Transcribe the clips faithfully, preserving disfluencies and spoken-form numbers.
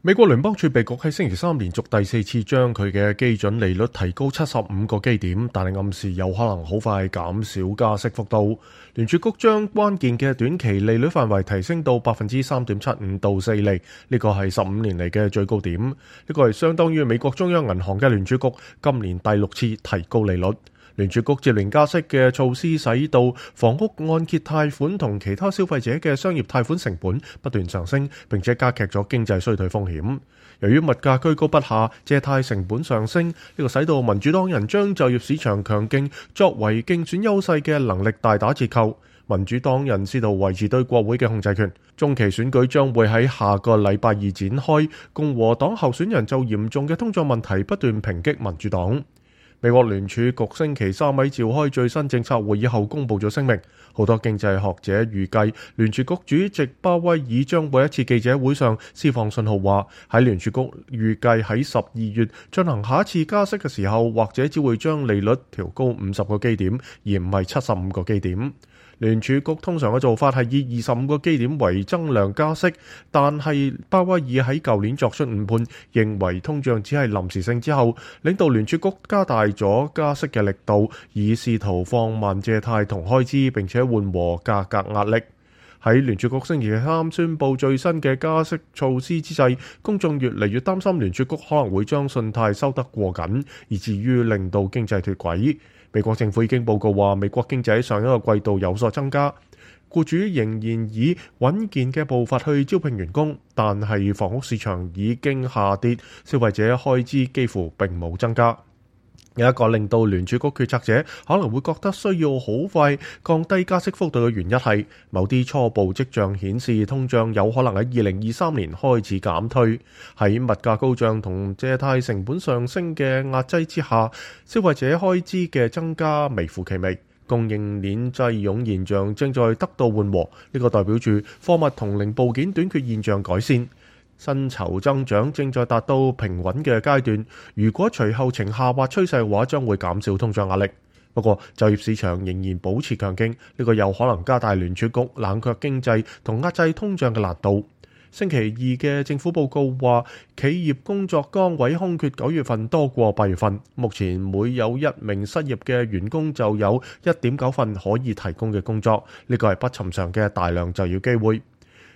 美國聯邦儲備局喺星期三連續第四次將佢嘅基準利率提高七十五個基點，但係暗示有可能好快減少加息幅度。聯儲局將關鍵嘅短期利率範圍提升到百分之三點七五到四厘，呢個係十五年嚟嘅最高點。呢個係相當於美國中央銀行嘅聯儲局今年第六次提高利率。聯儲局接連加息嘅措施，使到房屋按揭貸款同其他消費者嘅商業貸款成本不斷上升，並且加劇咗經濟衰退風險。由於物價居高不下，借貸成本上升，呢個使到民主黨人將就業市場強勁作為競選優勢嘅能力大打折扣。民主黨人試圖維持對國會嘅控制權。中期選舉將會喺下個禮拜二展開，共和黨候選人就嚴重嘅通脹問題不斷抨擊民主黨。美國聯儲局星期三喺召開最新政策會議後公布咗聲明，好多經濟學者預計聯儲局主席鮑威爾將會喺一次記者會上釋放信號，話喺聯儲局預計喺十二月進行下一次加息嘅時候，或者只會將利率調高五十個基點，而唔係七十五個基點。聯儲局通常嘅做法係以二十五個基點為增量加息，但係鮑威爾喺舊年作出誤判，認為通脹只係臨時性之後，領導聯儲局加大咗加息嘅力度，以試圖放慢借貸同開支，並且緩和價格壓力。喺聯儲局星期三宣布最新嘅加息措施之際，公眾越嚟越擔心聯儲局可能會將信貸收得過緊，以至於令到經濟脫軌。美國政府已經報告話，美國經濟喺上一個季度有所增加，僱主仍然以穩健嘅步伐去招聘員工，但係房屋市場已經下跌，消費者開支幾乎並冇增加。有一個令到聯儲局決策者可能會覺得需要好快降低加息幅度嘅原因係，某啲初步跡象顯示通脹有可能喺二零二三年開始減退。喺物價高漲同借貸成本上升嘅壓擠之下，消費者開支嘅增加微乎其微，供應鏈擠擁現象正在得到緩和。呢個代表住貨物同零部件短缺現象改善。薪酬增長正在達到平穩嘅階段，如果隨後呈下滑趨勢嘅話，將會減少通脹壓力。不過就業市場仍然保持強勁，呢個有可能加大聯儲局冷卻經濟同壓制通脹嘅難度。星期二嘅政府報告話，企業工作崗位空缺九月份多過八月份，目前每有一名失業嘅員工就有一點九份可以提供嘅工作，呢個係不尋常嘅大量就業機會。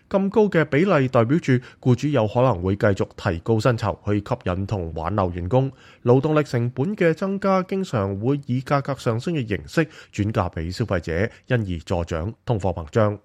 咁高嘅比例代表住僱主有可能會繼續提高薪酬去吸引同挽留員工，勞動力成本嘅增加經常會以價格上升嘅形式轉嫁俾消費者，因而助長通貨膨脹。